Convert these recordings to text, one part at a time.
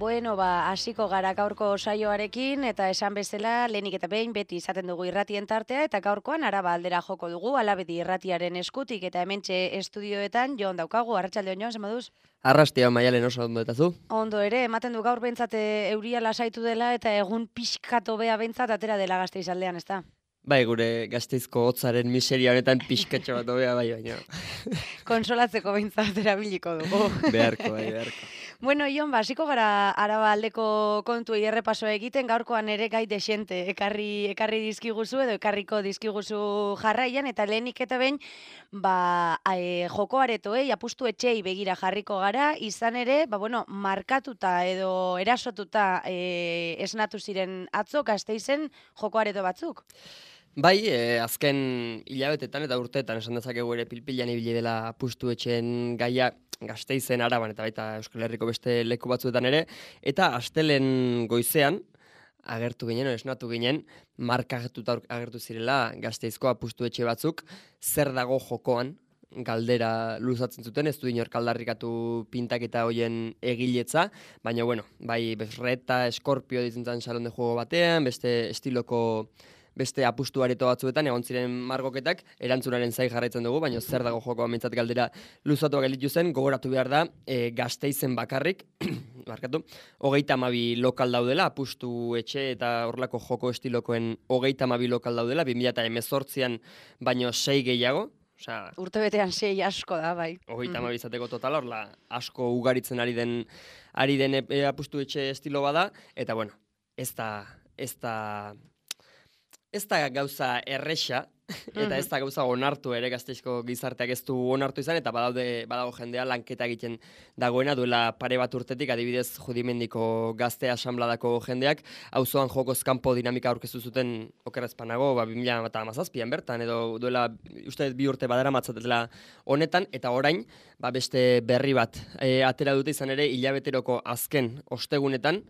Bueno, hasiko gara gaurko saioarekin eta esan bezala lehenik eta behin beti izaten dugu irratien tartea eta gaurkoan Araba aldera joko dugu Alabedi irratiaren eskutik eta hementxe estudioetan Jon daukagu. Arratsaldeon Jon, zer moduz? Arrastia Maialen oso ondo eta zu? Ondo ere, ematen du gaur behintzat euria lasaitu dela eta egun pixkat hobea behintzat atera dela Gasteizaldean, ezta? Bai, gure Gasteizko hotzaren miseria honetan pixkatxo bat hobea bai baina. Konsolatzeko behintzat erabiliko dugu. Beharko. Bueno, Jon, hasiko gara Araba aldeko kontuei errepasoa egiten, gaurkoan ere gai desente ekarri dizkiguzu edo ekarriko dizkiguzu jarraian, eta lehenik eta behin, joko aretoei, apustu etxei begira jarriko gara, izan ere, markatuta edo erasotuta esnatu ziren atzo Gasteizen joko areto batzuk. Bai, azken hilabetetan eta urteetan esan dezakegu ere pilpilan ibili dela apustu etxeen gaia Gasteizen, Araban eta baita Euskal Herriko beste leku batzuetan ere, eta astelen goizean agertu ginen, esnatu ginen, markatuta agertu zirela Gasteizko apustu etxe batzuk, zer dago jokoan, galdera luzatzen zuten, ez du inork aldarrikatu pintaketa hoien egiletza, baina bai Besreta, Eskorpio ditzen zen salon de juego batean, beste apustu areto batzuetan egon ziren margoketak, erantzunaren zai jarraitzen dugu, baina zer dago jokoa mintzat galdera luzatuak elitu zen, gogoratu behar da, Gasteizen bakarrik, 32 lokal daudela, apustu etxe eta horlako joko estilokoen 32 lokal daudela, 2018an baino 6 gehiago, urtebetean 6 asko da, bai. 32 izateko totala, horla asko ugaritzen ari den apustu etxe estilo bada, eta ez da gauza erresa, eta ez da gauza onartu ere Gasteizko gizarteak ez du onartu izan, eta badago jendea lanketa egiten dagoena duela pare bat urtetik, adibidez Judimendiko Gazte Asanbladako jendeak, auzoan jokoz kanpo dinamika aurkeztu zuten okerrezpanago, 2017an bertan, edo duela uste 2 urte badara matzatela honetan, eta orain, beste berri bat atera dute izan ere, hilabeteroko azken ostegunetan,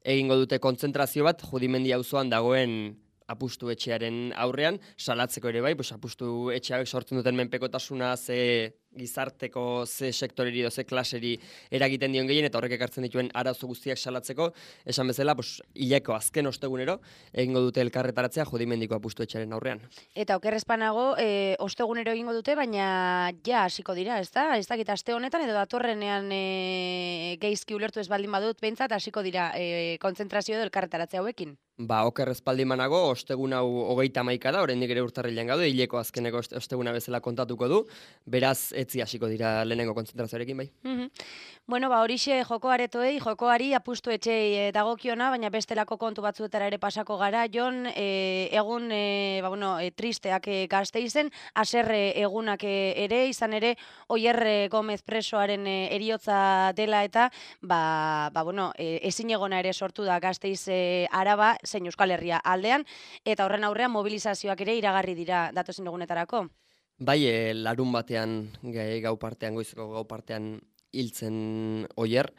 egingo dute kontzentrazio bat Judimendi auzoan dagoen apustu etxearen aurrean, salatzeko ere bai, apustu etxeak sortzen duten menpekotasuna, ze gizarteko, ze sektoreri edo ze klaseri eragiten dion gehien, eta horrek ekartzen dituen arazo guztiak salatzeko, esan bezala, hileko azken ostegunero, egingo dute elkarretaratzea Judimendiko apustu etxearen aurrean. Eta okerrezpanago, ostegunero egingo dute, baina ja hasiko dira, ez da? Ez dakit aste honetan, edo datorrenean geizki ulertu ez baldin badut, behintzat hasiko dira kontzentrazio edo elkarretaratzea hauekin. Okerrezpaldimanago, ostegun hau 31 da, oraindik ere urtarrilean gaude, hileko azkeneko osteguna bezala kontatuko du, beraz etzi hasiko dira lehenengo kontzentrazioarekin bai. Horixe joko aretoei, jokoari apustu etxei dagokiona, baina bestelako kontu batzuetara ere pasako gara, Jon, egun tristeak Gasteizen, haserre egunak ere, izan ere, Oier Gomez presoaren heriotza dela eta, ezinegona ere sortu da Gasteiz Araba, zein Euskal Herria aldean, eta horren aurrean mobilizazioak ere iragarri dira datozen egunetarako. Bai, larun batean, goizeko gau partean hiltzen Oier,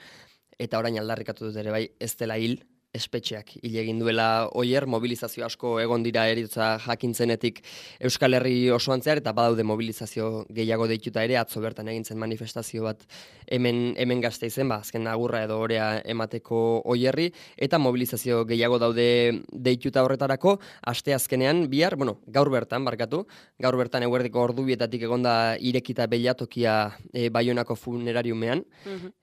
eta orain aldarrikatu dut ere bai, ez dela hil, espetxeak hil egin duela Oier, mobilizazio asko egon dira eriotza jakintzenetik Euskal Herri osoan zehar, eta badaude mobilizazio gehiago deituta ere, atzo bertan egin zen manifestazio bat hemen Gasteizen, azken agurra edo orea emateko Oierri, eta mobilizazio gehiago daude deituta horretarako, asteazkenean bihar, gaur bertan eguerdiko ordubietatik egonda irekita beilatokia Baionako funerariumean,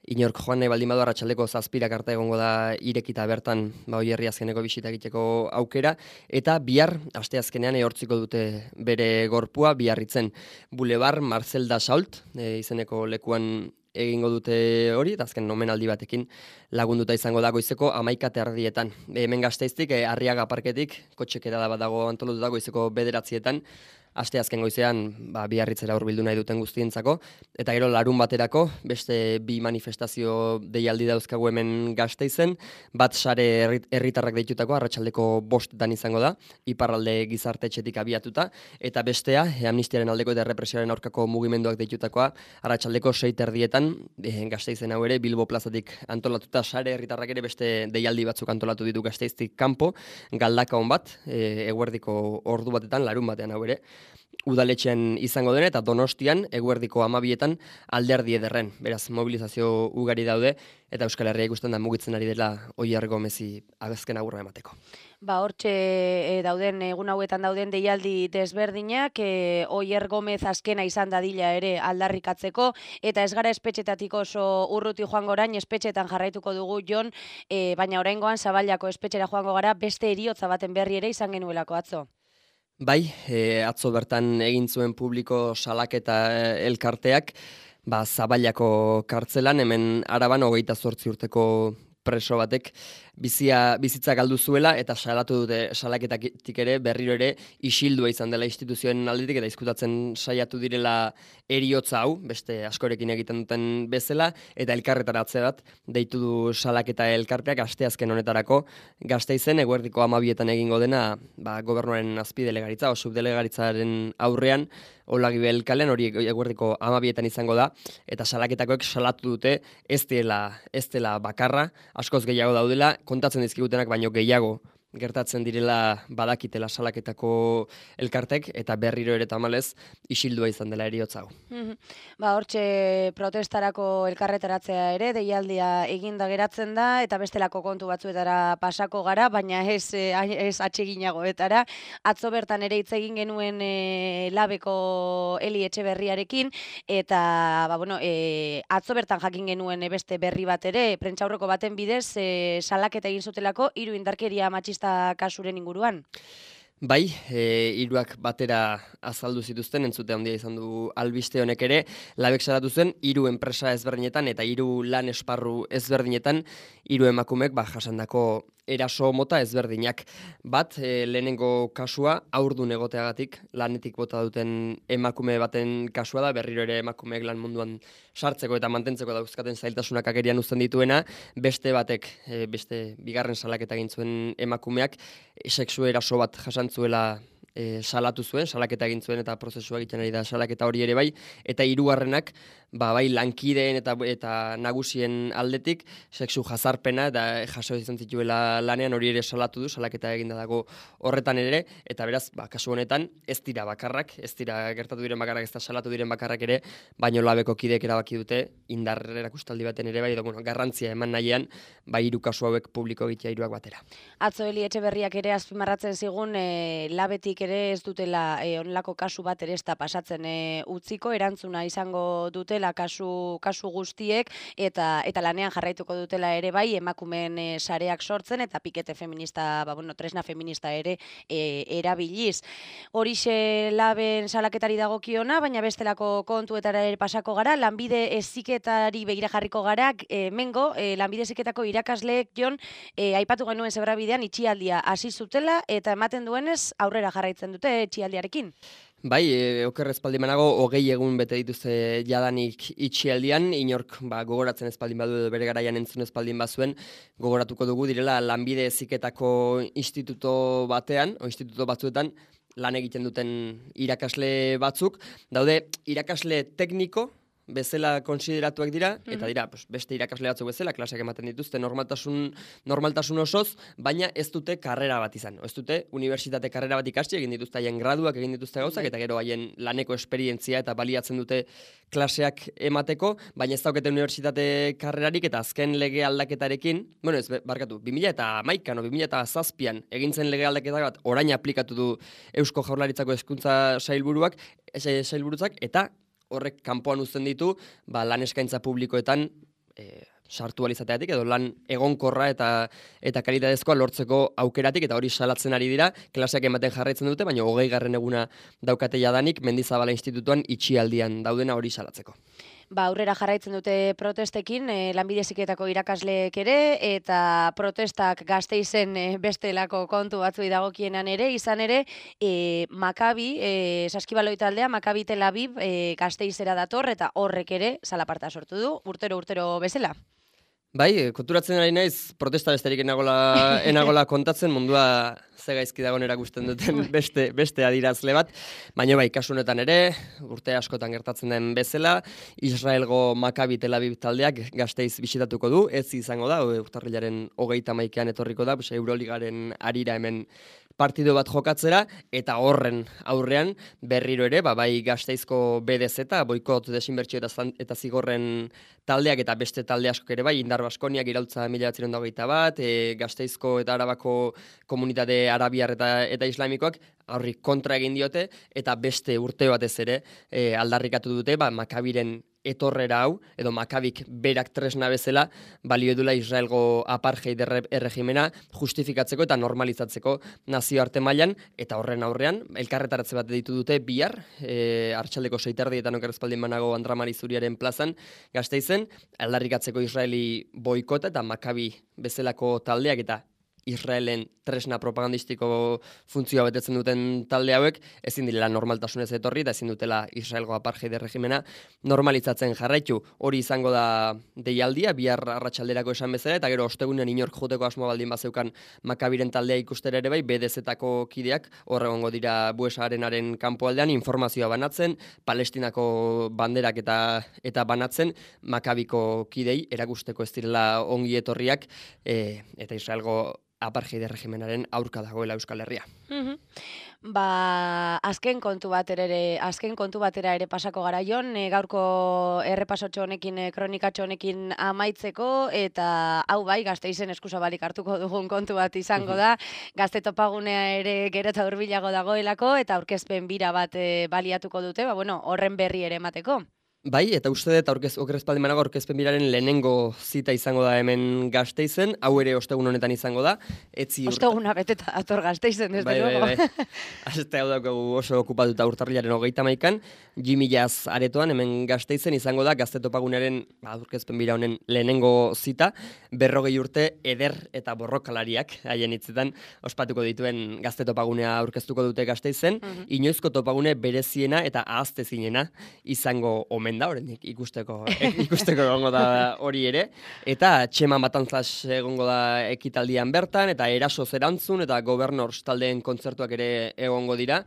inork joan nahi baldin badu arratsaldeko 7 arte egongo da irekita bertan Oierri azkeneko bisita egiteko aukera, eta bihar, asteazkenean ehortziko dute bere gorpua, biarritzen Boulevard Marcel Dassault, izeneko lekuan egingo dute hori, eta azken omenaldi batekin lagunduta izango da goizeko 11:30. Hemen Gasteiztik, Arriaga parketik, kotxekera bat dago antolatuta goizeko 9:00, asteazken goizean biarritzera hurbildu nahi duten guztientzako, eta gero larun baterako, beste 2 manifestazio deialdi dauzkagu hemen Gasteizen, bat sare herritarrak deitutako, arratsaldeko 5:00 izango da, iparralde gizartetxetik abiatuta, eta bestea, amnistiaren aldeko eta errepresioaren aurkako mugimenduak deitutakoa, arratsaldeko 6:30, Gasteizen hau ere, Bilbo plazatik antolatuta, sare herritarrak ere beste deialdi batzuk antolatu ditu Gasteiztik kanpo, galdakaon bat, eguerdiko ordu batetan, larun batean hau ere, udaletxean izango dena, eta Donostian, eguerdiko 12etan Alderdi Ederren. Beraz, mobilizazio ugari daude, eta Euskal Herria ikusten da mugitzen ari dela Oier Gomezi azken agurra emateko. Hortxe dauden, egun hauetan dauden deialdi desberdinak, Oier Gomez azkena izan dadila ere aldarrikatzeko, eta ez gara espetxetatik oso urruti joango orain, espetxetan jarraituko dugu Jon, baina oraingoan Zaballako espetxera joango gara, beste heriotza baten berri ere izan genuelako atzo. Bai, atzo bertan egin zuen publiko salaketa elkarteak, Zaballako kartzelan, hemen Araban 28 urteko preso batek bizitza galdu zuela, eta salatu dute salaketatik ere berriro ere isildua izan dela instituzioen aldetik, eta izkutatzen saiatu direla heriotza hau, beste askorekin egiten duten bezala, eta elkarretaratze bat deitu du salaketa elkarteak asteazken honetarako Gasteizen eguerdiko 12etan egingo dena, gobernuaren azpidelegaritza, o subdelegaritzaren aurrean, Olagibel kalean, hori eguerdiko 12etan izango da, eta salaketakoek salatu dute ez dela bakarra, askoz gehiago daudela, kontatzen dizkigutenak baino gehiago gertatzen direla badakitela salaketako elkartek, eta berriro ere tamalez isildua izan dela heriotza hau. Hortxe protestarako elkarretaratzea ere, deialdia eginda geratzen da, eta bestelako kontu batzuetara pasako gara, baina ez atseginagoetara. Atzo bertan ere hitz egin genuen Labeko Eli Etxeberriarekin, eta atzo bertan jakin genuen beste berri bat ere, prentsaurreko baten bidez salaketa egin zutelako 3 indarkeria matxista kasuren inguruan. Bai, hiruak batera azaldu zituzten, entzute handia izan du albiste honek ere, Labek salatu zen 3 enpresa ezberdinetan eta 3 lan esparru ezberdinetan 3 emakumek jasandako eraso mota ezberdinak. Bat, lehenengo kasua haurdun egoteagatik lanetik bota duten emakume baten kasua da, berriro ere emakumeek lan munduan sartzeko eta mantentzeko dauzkaten zailtasunak agerian uzten dituena, beste batek, beste bigarren salaketa egin zuen emakumeak, sexu eraso bat jasantzuela salatu zuen, salaketa egin zuen eta prozesua egiten ari da salaketa hori ere bai, eta 3. Bai lankideen eta nagusien aldetik sexu jazarpena eta jaso izan zituela lanean, hori ere salatu du, salaketa eginda dago horretan ere, eta beraz, kasu honetan ez dira bakarrak, ez dira gertatu diren bakarrak, ez da salatu diren bakarrak ere, baino Labeko kideek erabaki dute indar erakustaldi baten ere bai, garrantzia eman nahian, 3 kasu hauek publiko egitea 3 batera. Atzo Eli Etxeberriak ere azpimarratzen zigun, Labetik ere ez dutela onelako kasu bat ere ez da pasatzen utziko, erantzuna izango dutela kasu guztiek, eta lanean jarraituko dutela ere bai, emakumeen sareak sortzen, eta pikete feminista, tresna feminista ere erabiliz. Horixe Laben salaketari dagokiona, baina bestelako kontuetara ere pasako gara, lanbide heziketari begira jarriko gara, mengo, lanbide heziketako irakasleek Jon, aipatu genuen Zebrabidean itxialdia hasi zutela, eta ematen duenez aurrera jarraitzen dute itxialdiarekin. Bai, oker espaldin banago, 20 egun bete dituzte jadanik itxialdian, inork gogoratzen espaldin badu edo bere garaian entzun espaldin bazuen, gogoratuko dugu direla lanbide heziketako instituto batean, o instituto batzuetan, lan egiten duten irakasle batzuk, daude irakasle tekniko, bezala konsideratuak dira, eta dira beste irakasle batzuk bezala, klaseak ematen dituzte normaltasun osoz, baina ez dute karrera bat izan. Ez dute unibertsitate karrera bat ikasti, egin dituzte haien graduak, egin dituzte gauzak, eta gero haien laneko esperientzia eta baliatzen dute klaseak emateko, baina ez daukete unibertsitate karrerarik, eta azken lege aldaketarekin, 2011 o 2007an egin zen lege aldaketa bat orain aplikatu du Eusko Jaurlaritzako hezkuntza sailburutzak, eta horrek kanpoan uzten ditu, lan eskaintza publikoetan sartu alizateatik, edo lan egonkorra eta kalitatezkoa lortzeko aukeratik, eta hori salatzen ari dira, klaseak ematen jarraitzen dute, baina 20. eguna daukate jadanik, Mendizabala Institutuan itxialdian daudena hori salatzeko. Aurrera jarraitzen dute protestekin, lanbide heziketako irakasleek ere, eta protestak Gasteizen bestelako kontu batzuei dagokienan ere, izan ere, Makabi, Saskibaloi taldea, Makabi Tel Aviv Gasteizera dator, eta horrek ere salaparta sortu du, urtero bezala. Bai, konturatzen ari naiz, protesta besterik enagola kontatzen, mundua ze gaizki dagoen erakusten duten beste adirazle bat, baina bai, kasu honetan ere, urte askotan gertatzen den bezala, Israelgo Makabi Tel Aviv taldeak Gasteiz bisitatuko du, ez izango da, urtarrilaren 31ean etorriko da, Euroligaren arira hemen partido bat jokatzera, eta horren aurrean berriro ere, bai Gasteizko BDZ, boikot desinbertsio eta zigorren taldeak eta beste talde askok ere bai, Indar Baskoniak iraultza 1921, Gasteizko eta Arabako komunitate arabiar eta islamikoak horri kontra egin diote, eta beste urte batez ere aldarrikatu dute, Makabiren etorrera hau, edo Makabik berak tresna bezala, balio edula Israelgo apartheid erregimena justifikatzeko eta normalizatzeko nazioarte mailan, eta horren aurrean, elkarretaratze bat ditu dute bihar, arratsaldeko 6:00 okerrezpaldin banago Andramari Zuriaren plazan, Gasteizen, aldarrikatzeko Israeli boikota eta Makabi bezalako taldeak eta Israelen tresna propagandistiko funtzioa betetzen duten talde hauek ezin direla normaltasunez etorri eta ezin dutela Israelgo apartheid erregimena normalizatzen jarraitu. Hori izango da deialdia, bihar arratsalderako esan bezala, eta gero ostegunean inork joteko asmo baldin bazeukan Makabiren taldea ikustera ere bai, BDZ-tako kideak hor egongo dira Buesa Arenaren kanpoaldean informazioa banatzen, Palestinako banderak eta banatzen Makabiko kidei erakusteko ez direla ongi etorriak eta Israelgo apartheid erregimenaren aurka dagoela Euskal Herria. Azken kontu batera ere pasako gara jon, gaurko errepasotxo honekin, kronikatxo honekin amaitzeko, eta hau bai, Gasteizen eskuzabalik hartuko dugun kontu bat izango da, Gazte topagunea ere gero eta hurbilago dagoelako, eta aurkezpen bira bat baliatuko dute, horren berri ere emateko. Bai, eta uste dut okerrezpaldin banago aurkezpen biraren lehenengo zita izango da hemen Gasteizen, hau ere ostegun honetan izango da. Osteguna beteta dator Gasteizen, desde luego. Bai. Aste hau daukagu oso okupatuta urtarrilaren 30an, Jimmy Jazz aretoan hemen Gasteizen izango da Gazte topagunearen aurkezpen bira honen lehenengo zita, 40 urte eder eta borrokalariak haien hitzetan ospatuko dituen Gazte topagunea aurkeztuko dute Gasteizen, inoizko topagune bereziena eta ahaztezinena izango omen da, oraindik ikusteko egongo da hori ere, eta Txema Matanzas egongo da ekitaldian bertan, eta Erasoz erantzun, eta Governors taldeen kontzertuak ere egongo dira,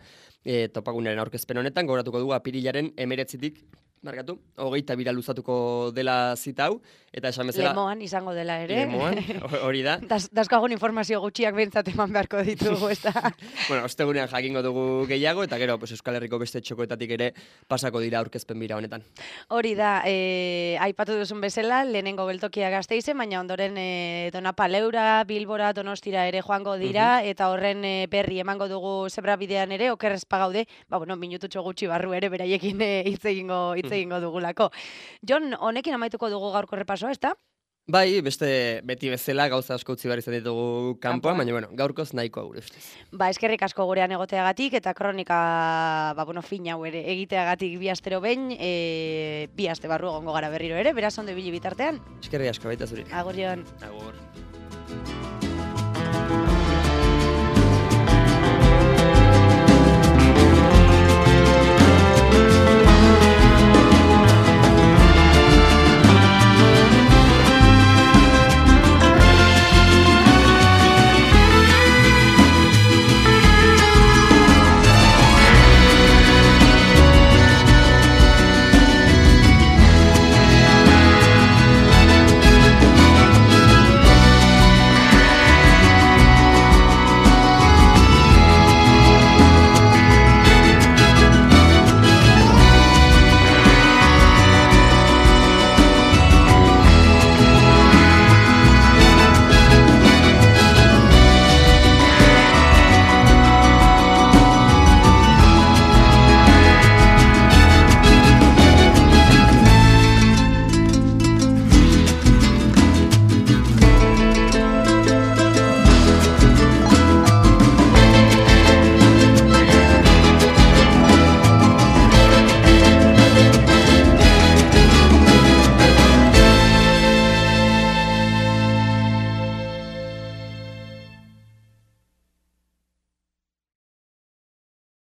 topagunaren aurkezpen honetan, gogoratuko dugu apirilaren 19tik, 22 luzatuko dela zita hau, eta esan bezala... Lemoan izango dela ere. Lemoan, hori da. Dazkagun informazio gutxiak behintzat eman beharko ditugu, ez da? Ostegunean jakingo dugu gehiago, eta gero Euskal Herriko beste txokoetatik ere pasako dira aurkezpen bira honetan. Hori da, aipatu duzun bezala, lehenengo geltokia Gasteizen, baina ondoren Donapaleura, Bilbora, Donostira ere joango dira, eta horren berri emango dugu zebrabidean ere, okerrezpa gaude, minututxo gutxi barru ere beraiekin hitz egingo dugulako. Jon, honekin amaituko dugu gaurko repasoa, ezta? Bai, beti bezala gauza asko utzi behar izan ditugu kanpoan, baina gaurkoz nahikoa gure ustez. Eskerrik asko gurean egoteagatik eta kronika fin hau ere egiteagatik bi astero behin, bi aste barru egongo gara berriro ere, beraz ondo ibili bitartean. Eskerrik asko baita zuri. Agur, Jon. Agur.